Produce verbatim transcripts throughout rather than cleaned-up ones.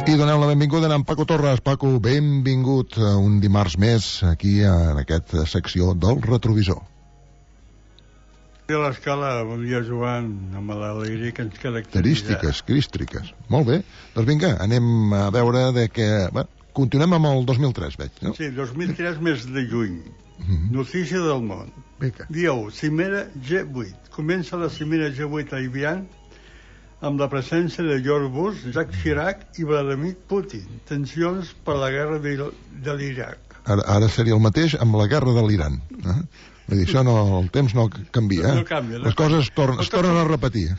I donem la benvinguda a en Paco Torres. Paco, benvingut un dimarts més aquí en aquesta secció del retrovisor. A l'escala, bon dia, Joan, amb l'alegria que ens caracteritza. Carístiques, crístriques. Molt bé. Doncs vinga, anem a veure de què... Bé, continuem amb el dos mil tres, veig, no? Sí, dos mil tres, mes de juny. Mm-hmm. Notícia del món. Vinga. Dia u, cimera G vuit. Comença la cimera G vuit a Evian amb la presència de George Bush, Jacques Chirac i Vladimir Putin. Tensions per la guerra de, de l'Iraq. Ara, ara seria el mateix amb la guerra de l'Iran. Eh? Vull dir, això no, el temps no canvia. Eh? No canvia. No Les coses es, torn, no es tornen a repetir.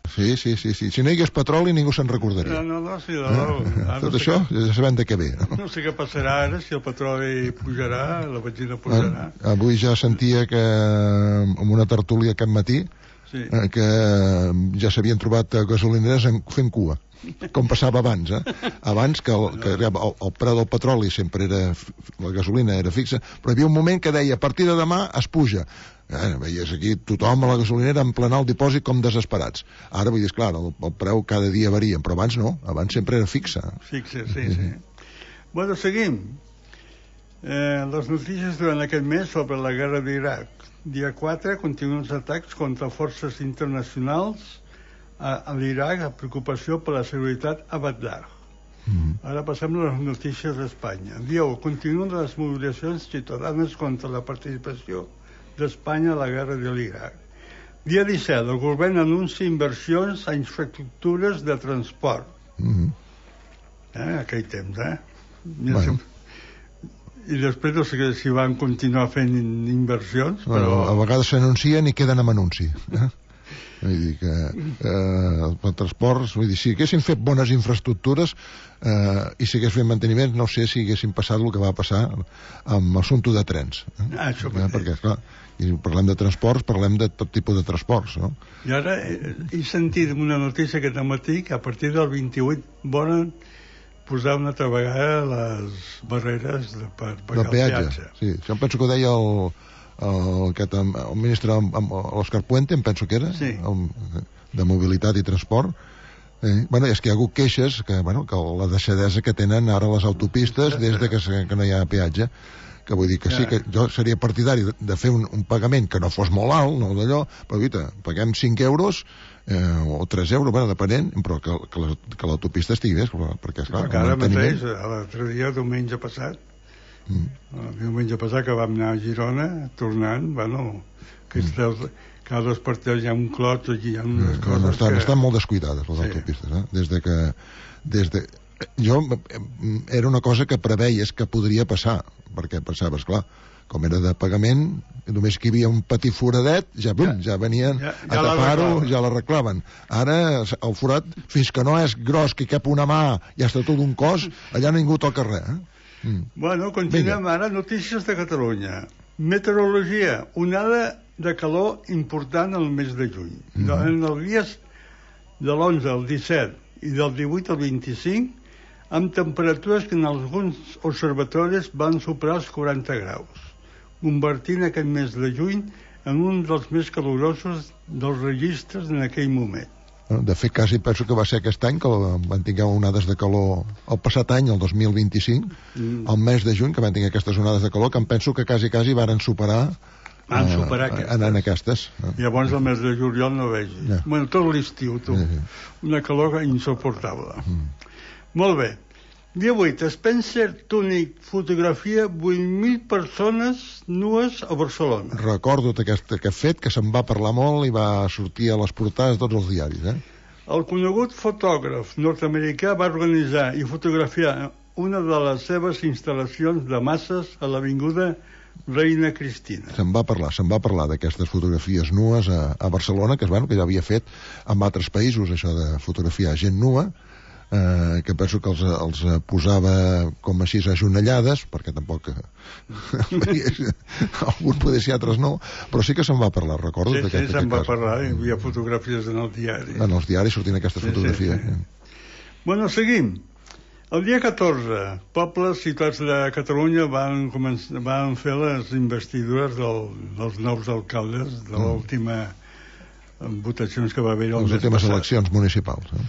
Sí, sí, sí, sí. Si no hi hagués petroli ningú se'n recordaria. No, no, no, sí, no, no. Eh? Tot no això que... ja sabem de què ve. No? no sé què passarà ara, si el petroli pujarà, la benzina pujarà. Ah, avui ja sentia que en una tertúlia aquest matí sí. eh, que ja s'havien trobat gasolineres en, fent cua, com passava abans, eh? Abans que, el, que el, el preu del petroli sempre era, la gasolina era fixa, però hi havia un moment que deia a partir de demà es puja. Eh, veies aquí tothom a la gasolinera en plenar el dipòsit com desesperats. Ara vull dir, clar, el, el preu cada dia varia, però abans no, abans sempre era fixa. Fixa, sí, sí. sí. Bueno, seguim. Eh, les notícies durant aquest mes sobre la guerra d'Iraq. Dia quatre, continuen els atacs contra forces internacionals a, a l'Iraq, a preocupació per la seguretat a Bagdad. Mm. Ara passem a les notícies d'Espanya. Dia u, continuen les mobilitzacions ciutadanes contra la participació d'Espanya a la guerra de l'Iraq. Dia disset, el govern anuncia inversions a infraestructures de transport. Mm. Eh, aquell temps, eh? Mira, bueno. I després no sé si van continuar fent inversions, però... Bueno, a vegades s'anuncien i queden amb anunci. Eh? Vull dir que eh, els transports, vull dir, si haguessin fet bones infraestructures eh, i si hagués fet manteniment, no sé si haguessin passat el que va passar amb l'assumpte de trens. Eh? Ah, això eh, perquè, clar, i parlem de transports, parlem de tot tipus de transports, no? I ara he, he sentit una notícia aquest matí que a partir del vint-i-vuit volen posar una altra vegada les barreres de, per pagar el peatge. Sí, això em penso que ho deia el, el, aquest, el ministre l'Òscar Puente, em penso que era, sí. el, de mobilitat i transport. Eh, bueno, és que hi ha hagut queixes que, bueno, que la deixadesa que tenen ara les autopistes des de que, que no hi ha peatge, que vull dir que sí, que jo seria partidari de, de fer un, un pagament que no fos molt alt, no d'allò, però guita, paguem cinc euros eh, o tres euros, bueno, depenent, però que, que l'autopista estigui bé, perquè, esclar, perquè ara mateix, l'altre dia, diumenge passat, mm. el diumenge passat que vam anar a Girona, tornant, bueno, que mm. cada dos partits hi ha un clot, hi ha unes mm. coses no, estan, que... estan molt descuidades, les sí. autopistes, eh? Des de que... Des de... Jo, era una cosa que preveies que podria passar, perquè pensaves, clar, com era de pagament, només que hi havia un petit foradet, ja, bum, ja, ja venien ja, ja a tapar-ho, ja l'arreglaven. Ara, el forat, fins que no és gros, que cap una mà i està tot un cos, allà ningú toca res. Eh? Mm. Bueno, continuem Vinga. Ara. Notícies de Catalunya. Meteorologia. Onada de calor important al mes de juny. Mm. En els dies de l'onze al disset i del divuit al vint-i-cinc, amb temperatures que en alguns observatoris van superar els quaranta graus, convertint aquest mes de juny en un dels més calorosos dels registres en aquell moment. De fet, quasi penso que va ser aquest any que van tenir onades de calor, el passat any, el dos mil vint-i-cinc, mm. el mes de juny, que van tenir aquestes onades de calor, que em penso que quasi, quasi varen superar van superar uh, aquestes. En aquestes. Llavors el mes de juliol no vegi. Yeah. Bueno, tot l'estiu, tu. Sí, sí. Una calor insuportable. Mm. Molt bé. Dia vuit. Spencer Tunick fotografia vuit mil persones nues a Barcelona. Recordo aquest, aquest fet, que se'n va parlar molt i va sortir a les portades de tots els diaris. Eh? El conegut fotògraf nord-americà va organitzar i fotografiar una de les seves instal·lacions de masses a l'avinguda Reina Cristina. Se'n va parlar, se'n va parlar d'aquestes fotografies nues a, a Barcelona, que, bueno, que ja havia fet en altres països, això de fotografiar gent nua, eh, que penso que els, els posava com així ajonellades, perquè tampoc algun poder ser, altres no, però sí que se'n va parlar, recordo. Sí, sí, se'n va parlar, hi havia fotografies en el diari. En els diaris sortien aquestes sí, fotografies. Sí, sí. Bueno, seguim. El dia catorze, pobles, ciutats de Catalunya van, començar, van fer les investidures del, dels nous alcaldes de l'última mm. votacions que va haver el les últimes eleccions municipals. Eh?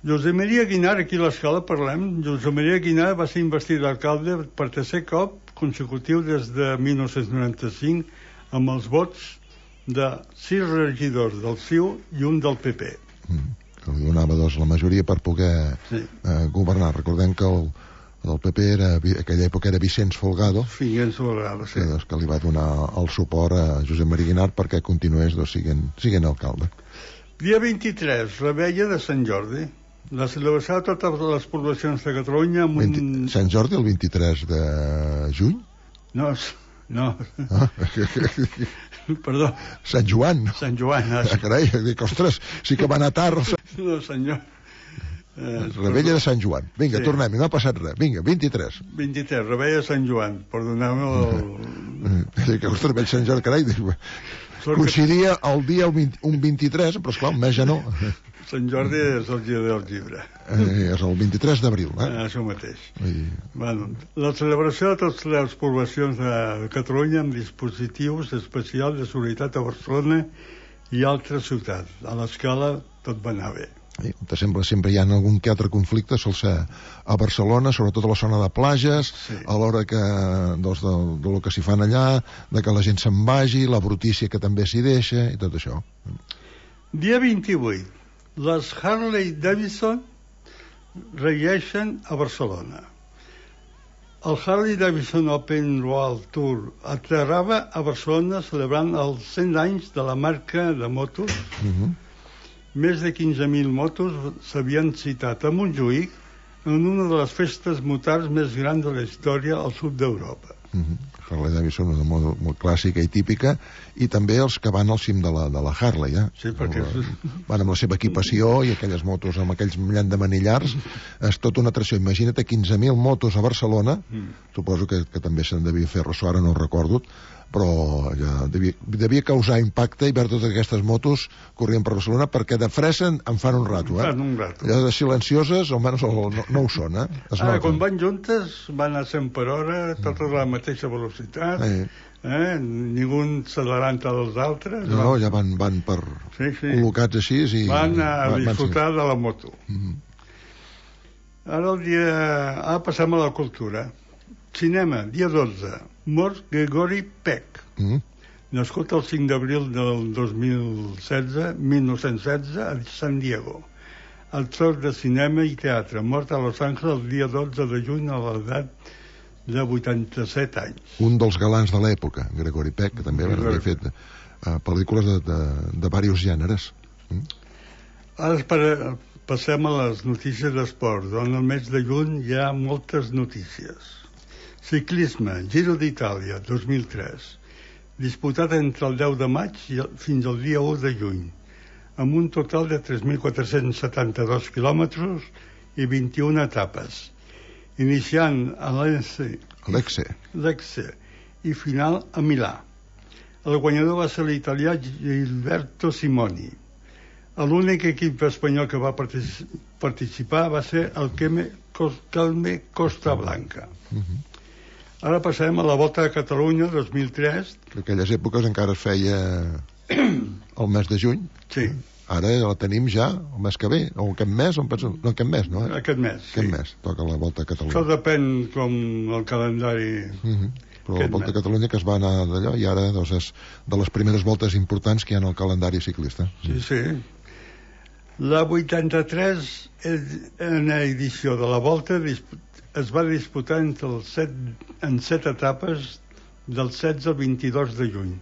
Josep Maria Guinar, aquí a l'escala parlem, Josep Maria Guinar va ser investit d'alcalde per tercer cop consecutiu des de mil nou-cents noranta-cinc amb els vots de sis regidors del C I U i un del P P. Mm, que li donava doncs, la majoria per poder sí. eh, governar. Recordem que el, el P P era, aquella època era Vicenç Folgado, Vicenç Folgado, sí. que, doncs, que li va donar el suport a Josep Maria Guinar perquè continués doncs, siguent, siguent alcalde. Dia vint-i-tres, la Vella de Sant Jordi. La celebració de totes les poblacions de Catalunya amb un... vint... Sant Jordi el vint-i-tres de juny? No, no. Ah. Perdó. Sant Joan. Sant Joan. Ah, carai, dic, ostres, sí que va anar tard. No, senyor. Eh, Rebella de Sant Joan. Vinga, sí. Tornem, no ha passat res. Vinga, vint-i-tres. vint-i-tres, Rebella de Sant Joan. Perdoneu-me el... Dic, ostres, veig Sant Jordi, carai, dic, coincidia el dia un vint-i-tres, però esclar, un mes ja no. Sant Jordi és el dia del llibre. Eh, és el vint-i-tres d'abril, eh? eh? Això mateix. I... Bueno, la celebració de totes les poblacions de Catalunya amb dispositius especials de seguretat a Barcelona i altres ciutats. A l'escala tot va anar bé. I, sempre, sempre hi ha algun que altre conflicte, sol ser a Barcelona, sobretot a la zona de plages, sí. A l'hora que, doncs, de, de lo que s'hi fan allà, de que la gent se'n vagi, la brutícia que també s'hi deixa, i tot això. Dia vint-i-vuit. Les Harley Davidson regeixen a Barcelona. El Harley Davidson Open World Tour aterrava a Barcelona celebrant els cent anys de la marca de motos. Uh-huh. Més de quinze mil motos s'havien citat a Montjuïc en una de les festes motars més grans de la història al sud d'Europa. Uh-huh. Harley Davidson, una moto molt clàssica i típica, i també els que van al cim de la, de la Harley, eh? Sí, perquè... La, van amb la seva equipació i aquelles motos amb aquells llandamanillars, és tota una atracció. Imagina't quinze mil motos a Barcelona, mm. suposo que, que també se'n devia fer ressò, ara no ho recordo, però ja devia, devia causar impacte i veure totes aquestes motos corrient per Barcelona, perquè de fressa en fan un rato, eh? Fan un rato. Allò de silencioses, almenys no, no ho són, eh? Es Ara, noten. quan van juntes, van a cent per hora, totes a la mateixa velocitat, eh. Eh? Ningú s'adelanta dels altres. No, no, ja van, van per sí, sí. col·locats així i... Van a van, disfrutar van de la moto. Mm-hmm. Ara el dia... Ah, passem a la cultura. Cinema, dia dotze. Mort Gregory Peck. Mm-hmm. Nascut el cinc d'abril del dos mil setze, mil nou-cents setze, a San Diego. Actor de cinema i teatre. Mort a Los Angeles el dia dotze de juny a l'edat de vuitanta-set anys. Un dels galants de l'època, Gregory Peck, que també havia fet uh, pel·lícules de, de, de diversos gèneres. Mm? Ara per, passem a les notícies d'esport, on el mes de juny hi ha moltes notícies. Ciclisme, Giro d'Itàlia, dos mil tres, disputat entre el deu de maig i el, fins al dia u de juny, amb un total de tres mil quatre-cents setanta-dos quilòmetres i vint-i-una etapes, iniciant a l'Lecce i final a Milà. El guanyador va ser l'italià Gilberto Simoni. L'únic equip espanyol que va participar va ser el Calme Costa Blanca. Uh-huh. Ara passem a la Volta de Catalunya dos mil tres. En aquelles èpoques encara es feia el mes de juny. Sí. Ara la tenim ja el mes que ve, o aquest mes, o penso... no, aquest mes, no? Eh? Aquest mes, aquest sí. mes, toca la Volta a Catalunya. Això depèn com el calendari... Uh-huh. Però la Volta a Catalunya que es va anar d'allò i ara doncs, és de les primeres voltes importants que hi ha en el calendari ciclista. Sí, sí. La vuitanta-tres edició de la Volta es va disputar entre el set, en set etapes del setze al vint-i-dos de juny,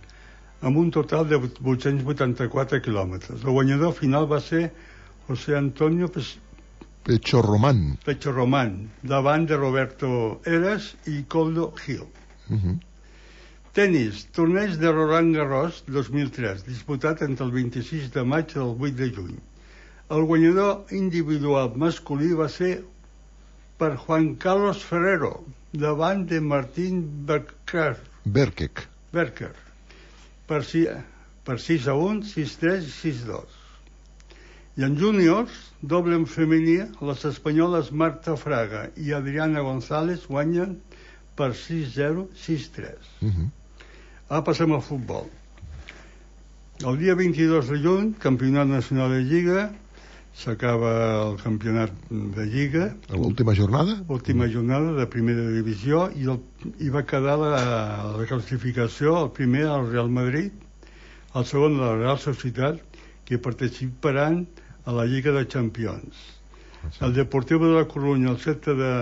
amb un total de vuit-cents vuitanta-quatre quilòmetres. El guanyador final va ser José Antonio Pecho Román. Pecho Román, davant de Roberto Heras i Coldo Gil. Uh-huh. Tenis, torneig de Roland Garros dos mil tres, disputat entre el vint-i-sis de maig i el vuit de juny. El guanyador individual masculí va ser per Juan Carlos Ferrero, davant de Martín Berker. Berkek. Berker. Per, si, per sis a un, sis a tres i sis a dos. I en júniors, doble en femení, les espanyoles Marta Fraga i Adriana González guanyen per sis a zero, sis a tres. Uh-huh. Ara passem al futbol. El dia vint-i-dos de juny, Campionat Nacional de Lliga, s'acaba el campionat de Lliga. L'última jornada? L'última jornada de primera divisió, i, el, i va quedar la, la classificació, el primer el Real Madrid, el segon la Real Societat, que participaran a la Lliga de Champions. El Deportivo de la Corunya, el Celta de,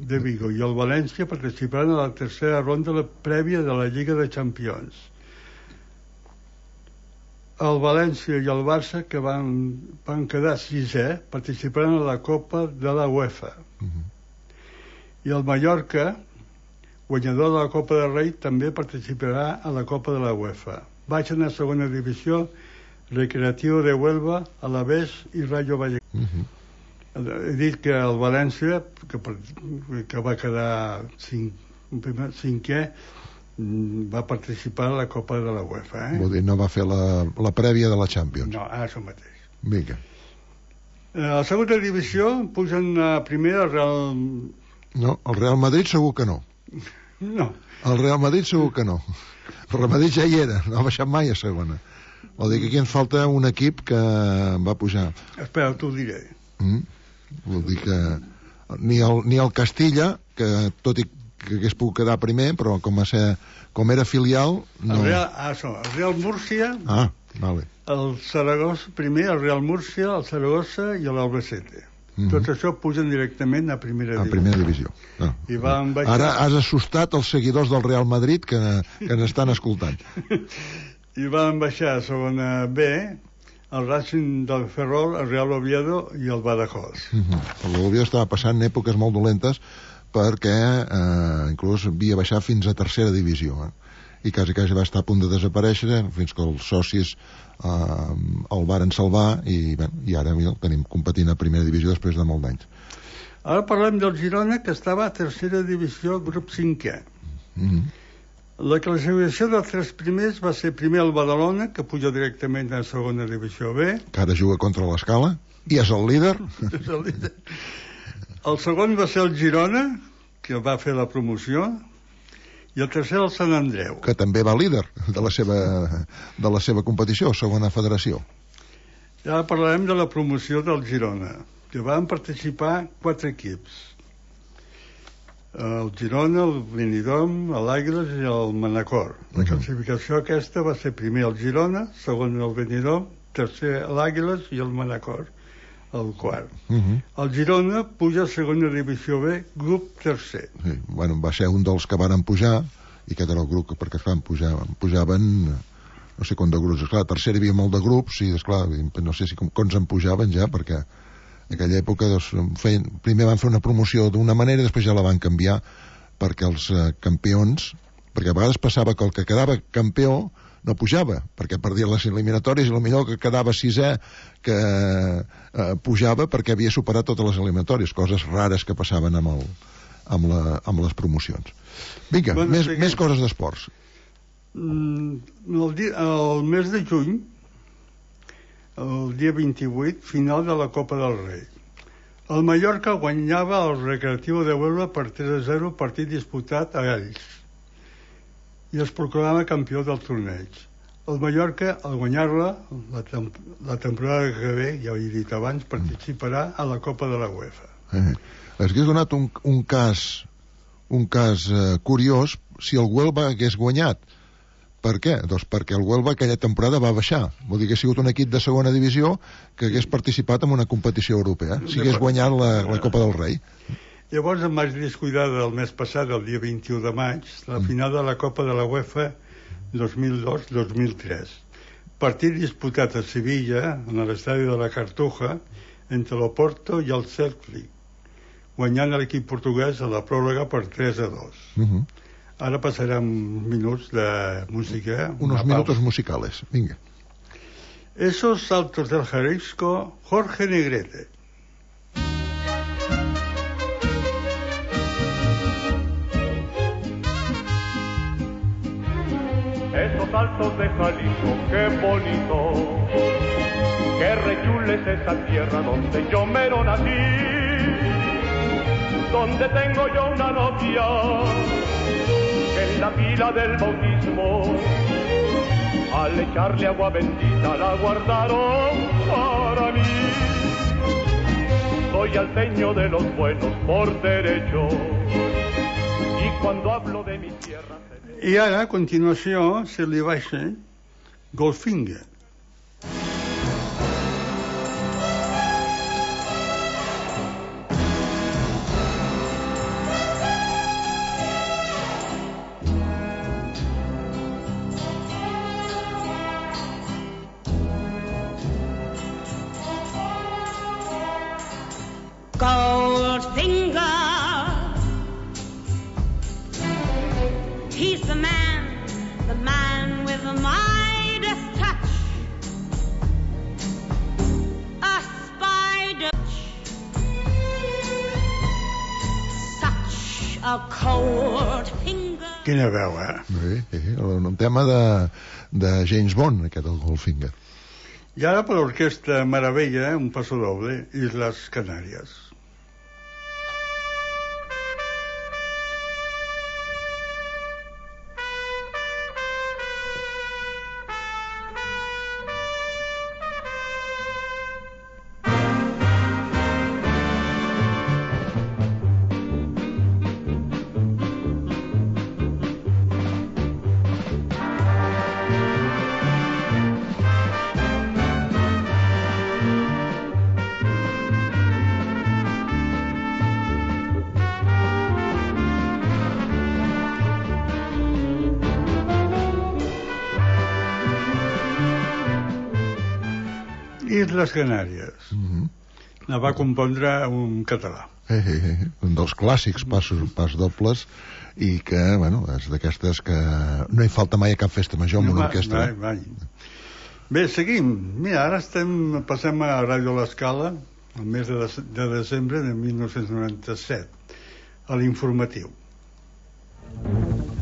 de Vigo i el València participaran a la tercera ronda la prèvia de la Lliga de Champions. El València i el Barça, que van, van quedar sisè, participaran a la Copa de la UEFA. Uh-huh. I el Mallorca, guanyador de la Copa del Rei, també participarà a la Copa de la UEFA. Baixen a segona divisió Recreativo de Huelva, Alavés i Rayo Vallecano. Uh-huh. He dit que el València, que, que va quedar cinc, cinquè, va participar a la Copa de la UEFA, eh? Vull dir, no va fer la, la prèvia de la Champions. No, ara això mateix. Vinga. Eh, a la segona divisió pugen a primera el Real... No, el Real Madrid segur que no. No. El Real Madrid segur que no. El Real Madrid ja hi era, no ha baixat mai a segona. Vol dir que aquí ens falta un equip que va pujar. Espera, t'ho diré. Mm? Vol dir que ni el, ni el Castilla, que tot i que hagués pogut quedar primer, però com a ser, com era filial no... el, Real, ah, això, el Real Múrcia, ah, vale. El Saragossa, primer el Real Múrcia, el Saragossa i l'Albacete. Mm-hmm. Tot això pugen directament a primera a divisió. Primera divisió. No. I van baixar... Ara has assustat els seguidors del Real Madrid que, que ens estan escoltant. I van baixar a segona B el Racing del Ferrol, el Real Oviedo i el Badajoz. Mm-hmm. L'Oviedo estava passant èpoques molt dolentes perquè eh, inclús havia baixat fins a tercera divisió, eh? I quasi quasi va estar a punt de desaparèixer fins que els socis eh, el varen salvar i, bé, i ara el tenim competint a primera divisió després de molt d'anys. Ara parlem del Girona, que estava a tercera divisió, grup cinquè. Mm-hmm. La classificació dels tres primers va ser primer el Badalona, que puja directament a segona divisió B, que ara juga contra l'Escala i és el líder. És el líder. El segon va ser el Girona, que va fer la promoció, i el tercer el Sant Andreu, que també va líder de la seva, de la seva competició, segona federació. I ara parlarem de la promoció del Girona, que van participar quatre equips: el Girona, el Benidorm, l'Àguiles i el Manacor. La classificació aquesta va ser primer el Girona, segon el Benidorm, tercer l'Àguiles i el Manacor el quart. Uh-huh. El Girona puja a segona divisió B, grup tercer. Sí, bueno, va ser un dels que varen pujar, i aquest era el grup, perquè esclar, pujaven, pujaven no sé quant de grups. Esclar, a tercera hi havia molt de grups, i esclar, no sé si com, quants en pujaven ja, perquè en aquella època doncs, feien, primer van fer una promoció d'una manera i després ja la van canviar perquè els eh, campions, perquè a vegades passava que el que quedava campió no pujava, perquè perdia les eliminatòries i potser que quedava sisè que eh, pujava perquè havia superat totes les eliminatòries, coses rares que passaven amb, el, amb, la, amb les promocions. Vinga, bueno, més, més coses d'esports. Mm, el, dia, el mes de juny, el dia vint-i-vuit, final de la Copa del Rei. El Mallorca guanyava el Recreativo de Huelva per tres a zero, partit disputat a ells, i es proclama campió del torneig. El Mallorca, al guanyar-la, la, temp la temporada que ve, ja ho he dit abans, participarà a la Copa de la UEFA. Eh, Hauria donat un, un cas, un cas eh, curiós si el Huelva hagués guanyat. Per què? Doncs perquè el Huelva aquella temporada va baixar. Vol dir que ha sigut un equip de segona divisió que hagués participat en una competició europea, si hagués guanyat la, la Copa del Rei. Llavors em vaig descuidar del mes passat, el dia vint-i-u de maig, la final de la Copa de la UEFA dos mil dos dos mil tres. Partit disputat a Sevilla, en l'estadi de la Cartuja, entre l'Oporto i el Celtic, guanyant l'equip portuguès a la pròrroga per tres a dos. Uh-huh. Ara passarem minuts de música. Unos minutos musicales, vinga. Esos saltos del Jalisco, Jorge Negrete. Esos saltos de Jalisco, qué bonito, qué rechule es esa tierra donde yo mero nací, donde tengo yo una novia que en la pila del bautismo, al echarle agua bendita la guardaron para mí. soy alteño de los buenos por derecho. Y cuando hablo de mi tierra... I ara, a continuació, se li baixa Goldfinger. Goldfinger, he's the man, the man with the Midas touch, a spider, such a cold finger. Quina veu, eh? Sí, sí, un tema de, de James Bond, aquest, el Goldfinger. I ara per l'orquestra Meravella, un paso doble, Islas Canàries. Islas Canàries. Mm-hmm. La va compondre un català. Eh, eh, eh. Un dels clàssics passos, pas dobles, i que, bueno, és d'aquestes que no hi falta mai a cap festa major amb no, una orquestra. Mai, mai. Bé, seguim. Mira, ara estem, passem a Ràdio L'Escala, el mes de, de, de desembre de mil nou-cents noranta-set, a l'informatiu.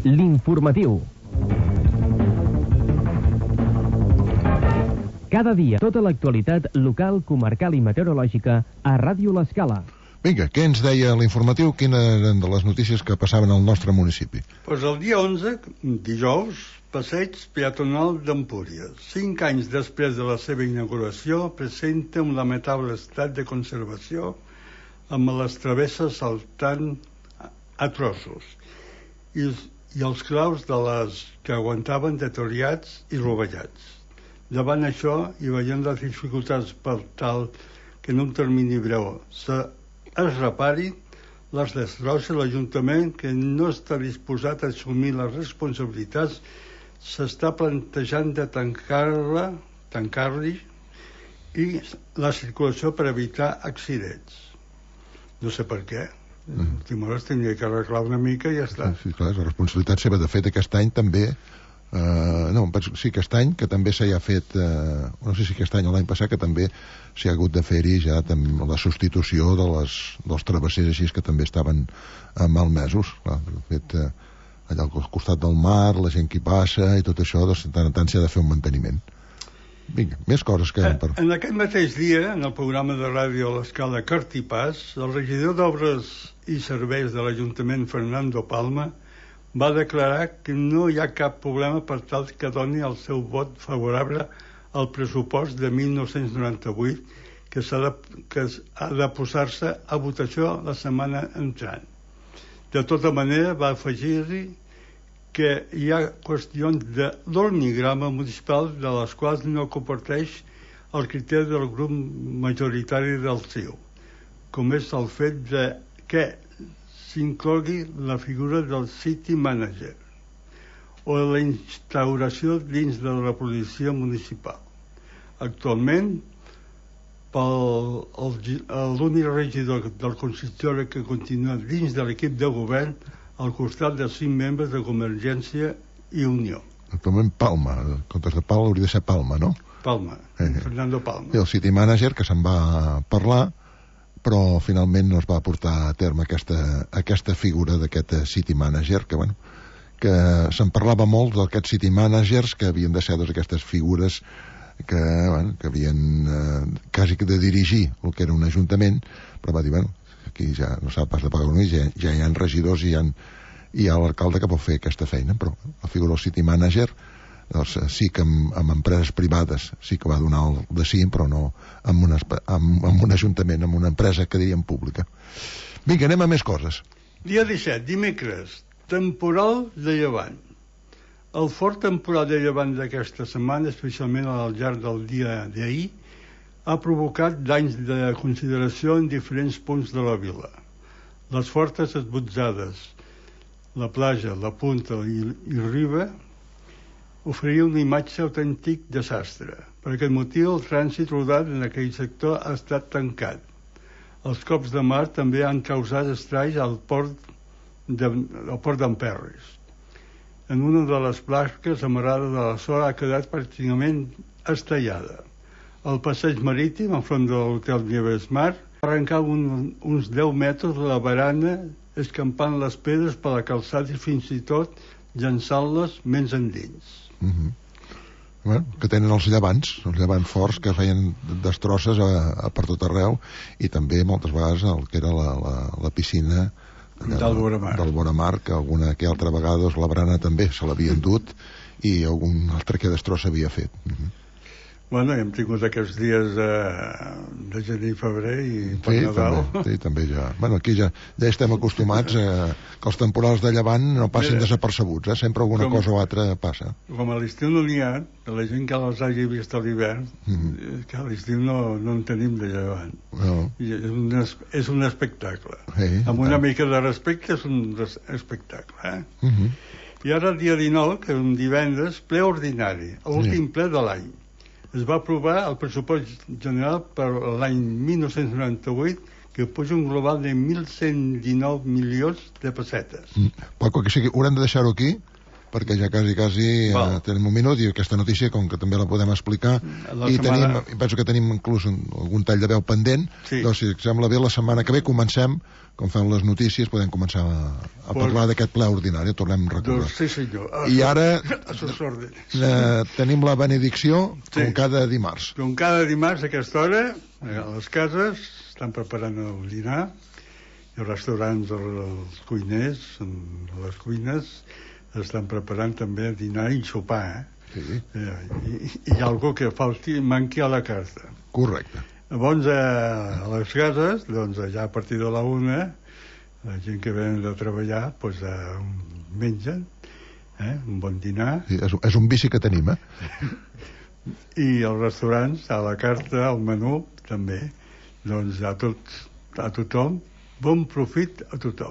L'informatiu. Cada dia, tota l'actualitat local, comarcal i meteorològica a Ràdio L'Escala. Vinga, què ens deia l'informatiu? Quines eren de les notícies que passaven al nostre municipi? Pues el dia onze, dijous, passeig peatonal d'Empúries. Cinc anys després de la seva inauguració, presenta un lamentable estat de conservació amb les travesses saltant a trossos i, i els claus de les que aguantaven deteriorats i rovellats. Davant això, i veient les dificultats per tal que en un termini breu se es repari, les destrosses, l'Ajuntament, que no està disposat a assumir les responsabilitats, s'està plantejant de tancar-la, tancar-li i la circulació per evitar accidents. No sé per què. Mm. Timores tindria que arreglar una mica i ja està. Sí, clar, la responsabilitat seva. De fet, aquest any també... Uh, no, sí, aquest any que també s'hi ha fet uh, no sé si aquest any o l'any passat que també s'hi ha hagut de fer-hi ja la substitució de les, dels travessers així que també estaven uh, malmesos. Clar, de fet, uh, allà al costat del mar, la gent que hi passa i tot això, doncs, tant en tant s'ha de fer un manteniment. Vinga, més coses que... Eh, en aquest mateix dia, en el programa de ràdio a l'Escala Cartipàs, el regidor d'Obres i Serveis de l'Ajuntament, Fernando Palma, va declarar que no hi ha cap problema per tal que doni el seu vot favorable al pressupost de mil nou-cents noranta-vuit que, s'ha de, que ha de posar-se a votació la setmana entrant. De tota manera, va afegir-hi que hi ha qüestions de l'organigrama municipal de les quals no comparteix el criteri del grup majoritari del C I U, com és el fet de que s'inclogui la figura del City Manager o la instauració dins de la policia municipal. Actualment, l'únic regidor del consistori que continua dins de l'equip de govern al costat de cinc membres de Convergència i Unió. Actualment Palma, en comptes de Pal hauria de ser Palma, no? Palma, eh. Fernando Palma. I el City Manager, que se'n va parlar, però finalment no es va portar a terme aquesta, aquesta figura d'aquest City Manager, que, bueno, que se'n parlava molt d'aquests City Managers que havien de ser doncs, aquestes figures que, bueno, que havien eh, quasi de dirigir el que era un ajuntament, però va dir, bueno, aquí ja no s'ha pas de pagar un ja, ja hi ha regidors i hi ha, hi ha l'alcalde que pot fer aquesta feina, però la figura del City Manager doncs sí que amb, amb empreses privades sí que va donar el de sí, però no amb, una, amb, amb un ajuntament, amb una empresa que diríem pública. Vinga, anem a més coses. Dia disset, dimecres, temporal de llevant. El fort temporal de llevant d'aquesta setmana, especialment al llarg del dia d'ahir, ha provocat danys de consideració en diferents punts de la vila. Les fortes esbotzades, la platja, la punta i, i riba oferia una imatge autèntic desastre. Per aquest motiu, el trànsit rodat en aquell sector ha estat tancat. Els cops de mar també han causat estralls al port de, al port d'Emperris. En una de les plaques amarrada de la zona ha quedat pràcticament estellada. El passeig marítim, enfront de l'hotel Nieves Mar, va arrencar un, uns deu metres de la barana, escampant les pedres per la calçada i fins i tot llançant-les menys endins. Mm-hmm. Bueno, que tenen els llevants, els llevants forts que feien destrosses a, a per tot arreu, i també moltes vegades el que era la, la, la piscina del Boramar. del Boramar, que alguna que altra vegada doncs, la barana també se l'havien dut i algun altre que destrossa havia fet. Mm-hmm. Bueno, hem tingut aquests dies de, de gener i febrer i per sí, Nadal. També, sí, també ja. Bueno, aquí ja, ja estem acostumats a que els temporals de llevant no passin Mira, desapercebuts, eh? Sempre alguna com, cosa o altra passa. Com a l'estiu no n'hi ha, la gent que les hagi vist a l'hivern, mm-hmm. que a l'estiu no, no en tenim de llevant. No. I és, un, és un espectacle. Sí, amb una tant. mica de respecte és un espectacle. Eh? Mm-hmm. I ara el dia dinou, que és un divendres, ple ordinari, l'últim sí. ple de l'any. Es va aprovar el pressupost general per l'any mil nou-cents noranta-vuit, que puja un global de mil cent dinou milions de pessetes. Mm. Paco, que sigui, haurem de deixar-ho aquí, perquè ja quasi, quasi eh, tenim un minut, i aquesta notícia, com que també la podem explicar, la i setmana... tenim, penso que tenim inclús un, algun tall de veu pendent, sí. doncs si sembla bé, la setmana que ve comencem, com fem les notícies, podem començar a, a pues... parlar d'aquest ple ordinari, tornem a recordar. Doncs sí, senyor. A I ara eh, tenim la benedicció sí. com cada dimarts. Com cada dimarts a aquesta hora, a les cases, estan preparant el dinar, i els restaurants, els cuiners, a les cuines, estan preparant també dinar i sopar, eh? Sí. Eh, i, i hi ha algú que falti, manqui a la carta. Correcte. Llavors, a les cases, doncs, ja a partir de la una, la gent que venen de treballar, doncs, eh, mengen, eh, un bon dinar. Sí, és, és un vici que tenim, eh? I els restaurants, a la carta, al menú, també. Doncs a, tot, a tothom, bon profit a tothom.